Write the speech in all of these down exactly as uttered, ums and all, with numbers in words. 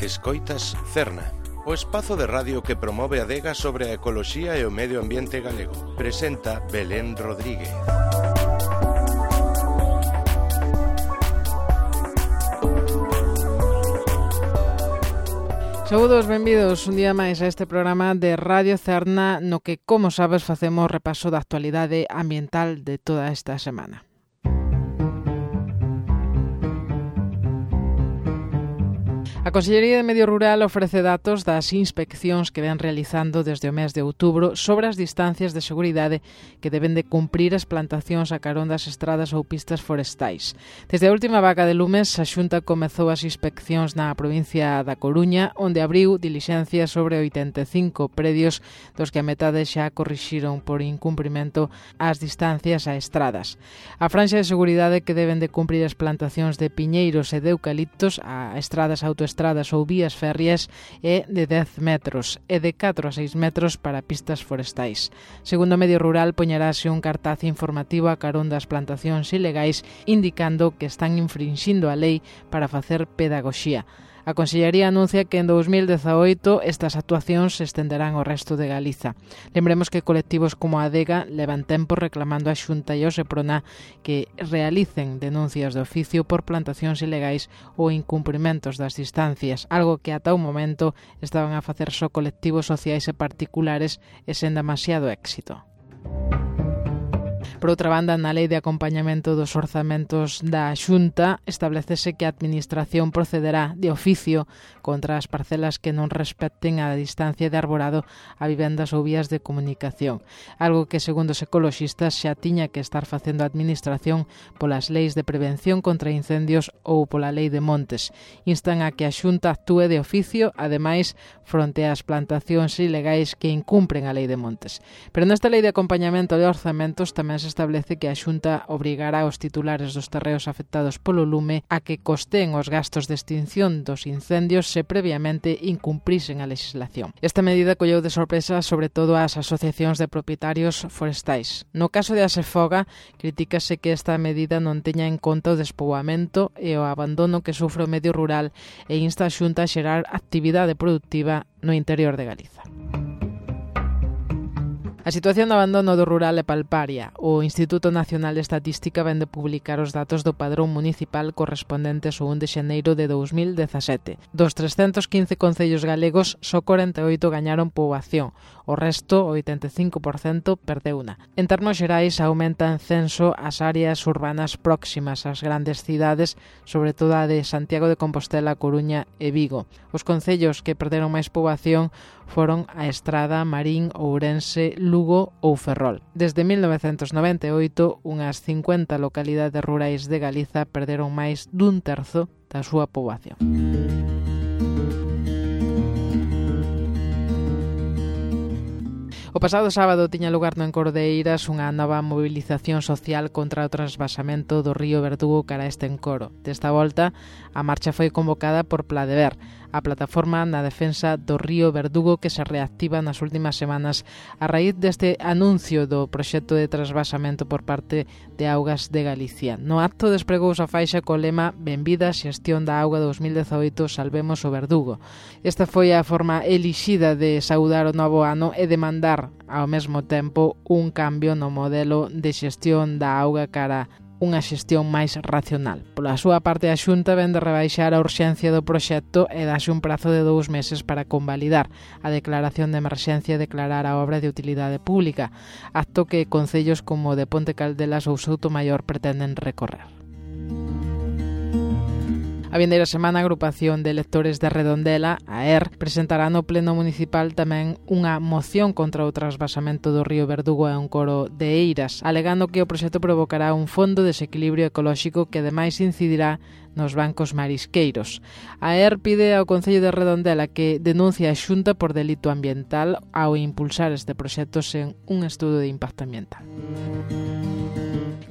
Escoitas Cerna, o espazo de radio que promove a adega sobre a ecoloxía e o medio ambiente galego. Presenta Belén Rodríguez. Saúdos, benvidos un día máis a este programa de Radio Cerna no que, como sabes, facemos repaso da actualidade ambiental de toda esta semana. A Consellería de Medio Rural ofrece datos das inspeccións que ven realizando desde o mes de outubro sobre as distancias de seguridade que deben de cumprir as plantacións a carón das estradas ou pistas forestais. Desde a última vaca de lumes, a Xunta comezou as inspeccións na provincia da Coruña, onde abriu dilixencias sobre oitenta e cinco predios dos que a metade xa corrixiron por incumprimento as distancias a estradas. A franxa de seguridade que deben de cumprir as plantacións de piñeiros e de eucaliptos a estradas autoestradas estradas ou vías férreas é de dez metros e de catro a seis metros para pistas forestais. Segundo o Medio Rural, poñerase un cartaz informativo a carón das plantacións ilegais indicando que están infrinxindo a lei para facer pedagoxía. A Consellería anuncia que en dous mil dezaoito estas actuacións se estenderán ao resto de Galiza. Lembremos que colectivos como a Adega levan tempo reclamando a Xunta e ao Seprona que realicen denuncias de oficio por plantacións ilegais ou incumprimentos das distancias, algo que ata o momento estaban a facer só colectivos sociais e particulares e sen demasiado éxito. Por outra banda, na Lei de Acompañamento dos Orzamentos da Xunta establecese que a Administración procederá de oficio contra as parcelas que non respecten a distancia de arborado a vivendas ou vías de comunicación, algo que, segundo os ecoloxistas, xa tiña que estar facendo a Administración polas leis de prevención contra incendios ou pola Lei de Montes. Instan a que a Xunta actúe de oficio, ademais, fronte ás plantacións ilegais que incumpren a Lei de Montes. Pero nesta Lei de Acompañamento de Orzamentos tamén se establece que a Xunta obrigará aos titulares dos terreos afectados polo lume a que costeen os gastos de extinción dos incendios se previamente incumprisen a legislación. Esta medida colleu de sorpresa sobre todo ás asociacións de propietarios forestais. No caso de Asefoga, critícase que esta medida non teña en conta o despoboamento e o abandono que sufre o medio rural e insta a Xunta a xerar actividade productiva no interior de Galiza. A situación de abandono do rural é palparia. O Instituto Nacional de Estatística vén de publicar os datos do padrón municipal correspondentes ao un de xaneiro de dous mil dezasete. Dos trescentos quince concellos galegos, só corenta e oito gañaron poboación. O resto, o oitenta e cinco por cento, perdeuna. En termos xerais, aumenta en censo as áreas urbanas próximas ás grandes cidades, sobre todo a de Santiago de Compostela, Coruña e Vigo. Os concellos que perderon máis poboación foron a Estrada, Marín, Ourense, Lugo ou Ferrol. Desde mil novecentos noventa e oito, unhas cincuenta localidades rurais de Galiza perderon máis dun terzo da súa poboación. O pasado sábado tiña lugar no Encoro de Eiras unha nova mobilización social contra o transvasamento do río Verdugo cara a este encoro. Desta volta, a marcha foi convocada por Pladever, a plataforma na defensa do río Verdugo que se reactiva nas últimas semanas a raíz deste anuncio do proxecto de transvasamento por parte de Augas de Galicia. No acto despregouse a faixa co lema Benvida xestión da auga dous mil dezaoito, salvemos o Verdugo. Esta foi a forma elixida de saudar o novo ano e demandar ao mesmo tempo un cambio no modelo de xestión da auga cara unha xestión máis racional. Pola súa parte, a Xunta vén de rebaixar a urxencia do proxecto e dáse un prazo de dous meses para convalidar a declaración de emerxencia e declarar a obra de utilidade pública, acto que concellos como de Ponte Caldelas ou Soutomaior pretenden recorrer. A vindeira semana, a agrupación de electores de Redondela, a E R, presentará no Pleno Municipal tamén unha moción contra o transvasamento do río Verdugo a Encoro de Eiras, alegando que o proxecto provocará un fondo de desequilibrio ecolóxico que ademais incidirá nos bancos marisqueiros. A E R pide ao Concello de Redondela que denuncie a Xunta por delito ambiental ao impulsar este proxecto sen un estudo de impacto ambiental.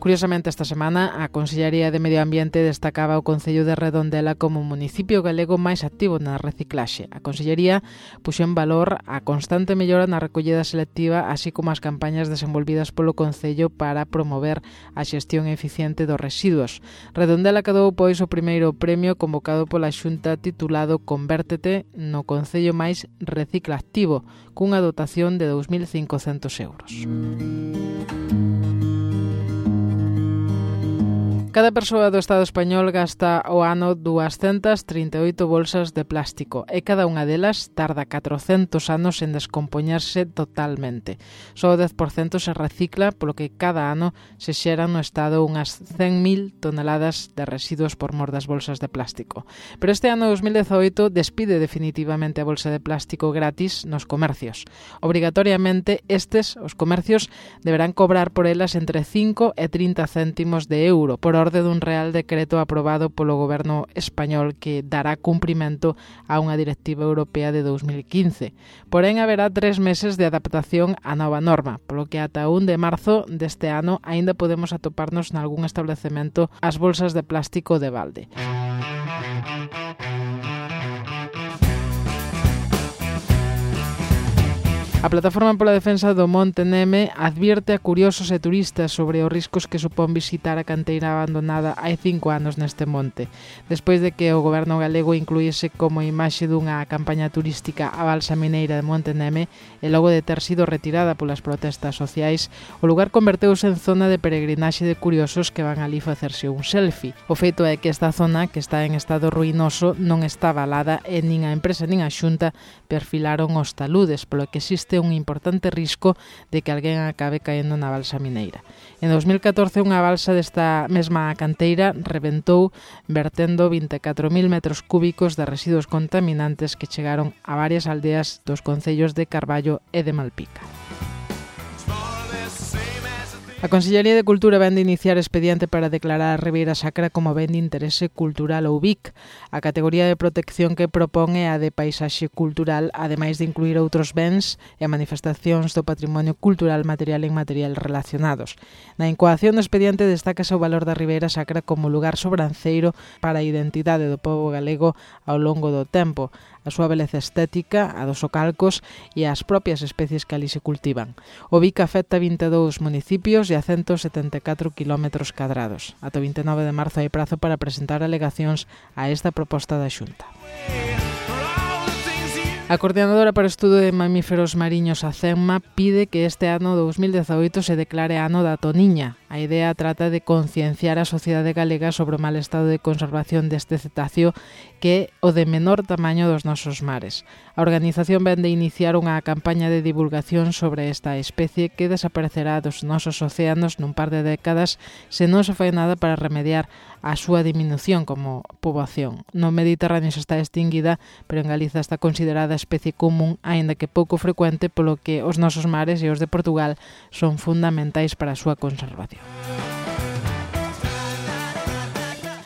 Curiosamente, esta semana a Consellería de Medio Ambiente destacaba o Concello de Redondela como o municipio galego máis activo na reciclaxe. A Consellería puxo en valor a constante mellora na recollida selectiva, así como as campañas desenvolvidas polo Concello para promover a xestión eficiente dos residuos. Redondela cadou pois o primeiro premio convocado pola Xunta titulado Convértete no Concello máis recicla activo, cunha dotación de dous mil cincocentos euros. Cada persoa do Estado español gasta ao ano doscientas trinta e oito bolsas de plástico e cada unha delas tarda catrocentos anos en descompoñerse totalmente. Só o dez por cento se recicla, polo que cada ano se xeran no Estado unhas cen mil toneladas de residuos por mor das bolsas de plástico. Pero este ano dos mil dezaoito despide definitivamente a bolsa de plástico gratis nos comercios. Obrigatoriamente estes, os comercios, deberán cobrar por elas entre cinco e trinta céntimos de euro por orde dun real decreto aprobado polo goberno español que dará cumprimento a unha directiva europea de dos mil quince. Porén, haberá tres meses de adaptación á nova norma, polo que ata un de marzo deste ano aínda podemos atoparnos nalgún establecemento as bolsas de plástico de balde. A Plataforma pola Defensa do Monte Neme advierte a curiosos e turistas sobre os riscos que supón visitar a canteira abandonada hai cinco anos neste monte. Despois de que o goberno galego incluíse como imaxe dunha campaña turística a balsa mineira de Monte Neme e logo de ter sido retirada polas protestas sociais, o lugar converteuse en zona de peregrinaxe de curiosos que van ali facerse un selfie. O feito é que esta zona, que está en estado ruinoso, non está avalada e nin a empresa nin a Xunta perfilaron os taludes, polo que existe un importante risco de que alguén acabe caendo na balsa mineira. En dos mil catorce, unha balsa desta mesma canteira rebentou vertendo vinte e catro mil metros cúbicos de residuos contaminantes que chegaron a varias aldeas dos concellos de Carballo e de Malpica. A Consellería de Cultura vén de iniciar expediente para declarar a Ribeira Sacra como ben de interese cultural ou B I C. A categoría de protección que propón é a de paisaxe cultural, ademais de incluir outros bens e manifestacións do patrimonio cultural material e inmaterial relacionados. Na incoación do expediente destacase o valor da Ribeira Sacra como lugar sobranceiro para a identidade do pobo galego ao longo do tempo, a súa beleza estética, a dos ocalcos e as propias especies que ali se cultivan. O B I C afecta vinte e dous municipios e a ciento setenta e catro kilómetros cadrados. Ata o vinte e nove de marzo hai prazo para presentar alegacións a esta proposta da Xunta. A Coordinadora para o Estudo de Mamíferos Mariños, a CEMMA, pide que este ano dos mil dezaoito se declare ano da toniña. A idea trata de concienciar a sociedade galega sobre o mal estado de conservación deste cetáceo, que é o de menor tamaño dos nosos mares. A organización vén de iniciar unha campaña de divulgación sobre esta especie que desaparecerá dos nosos océanos nun par de décadas se non se fai nada para remediar a súa diminución como poboación. No Mediterráneo está extinguida, pero en Galiza está considerada especie común, aínda que pouco frecuente, polo que os nosos mares e os de Portugal son fundamentais para a súa conservación.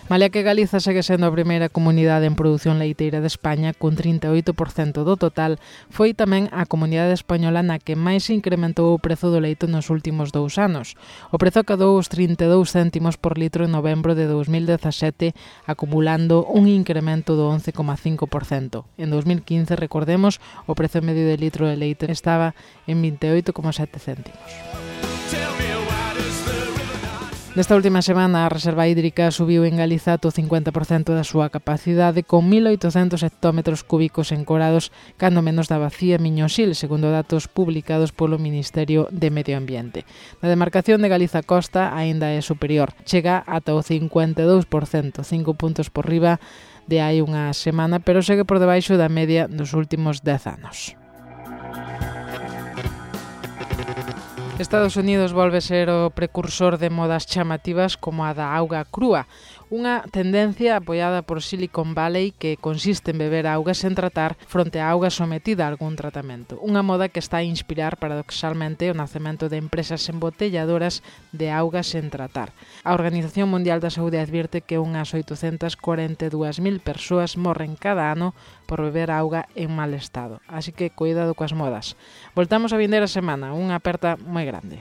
Malia que Galiza segue sendo a primeira comunidade en produción leiteira de España, cun trinta e oito por cento do total, foi tamén a comunidade española na que máis incrementou o prezo do leite nos últimos dous anos. O prezo acadou os trinta e dous céntimos por litro en novembro de dos mil dezasete, acumulando un incremento do once coma cinco por cento. En dos mil quince, recordemos, o prezo medio de litro de leite estaba en vinte e oito coma sete céntimos. Nesta última semana, a reserva hídrica subiu en Galiza ata o cincuenta por cento da súa capacidade, con mil oitocentos hectómetros cúbicos encorados, cando menos da bacía Miñosil, segundo datos publicados polo Ministerio de Medio Ambiente. Na demarcación de Galiza Costa aínda é superior, chega ata o cincuenta e dous por cento, cinco puntos por riba de hai unha semana, pero segue por debaixo da media dos últimos dez anos. Estados Unidos volve ser o precursor de modas chamativas como a da auga crúa, unha tendencia apoiada por Silicon Valley que consiste en beber auga sen tratar fronte a auga sometida a algún tratamento. Unha moda que está a inspirar paradoxalmente o nacemento de empresas embotelladoras de auga sen tratar. A Organización Mundial da Saúde advierte que unhas oitocentas corenta e dúas mil persoas morren cada ano por beber auga en mal estado. Así que cuidado coas modas. Voltamos a vindeira semana, unha aperta moi grande.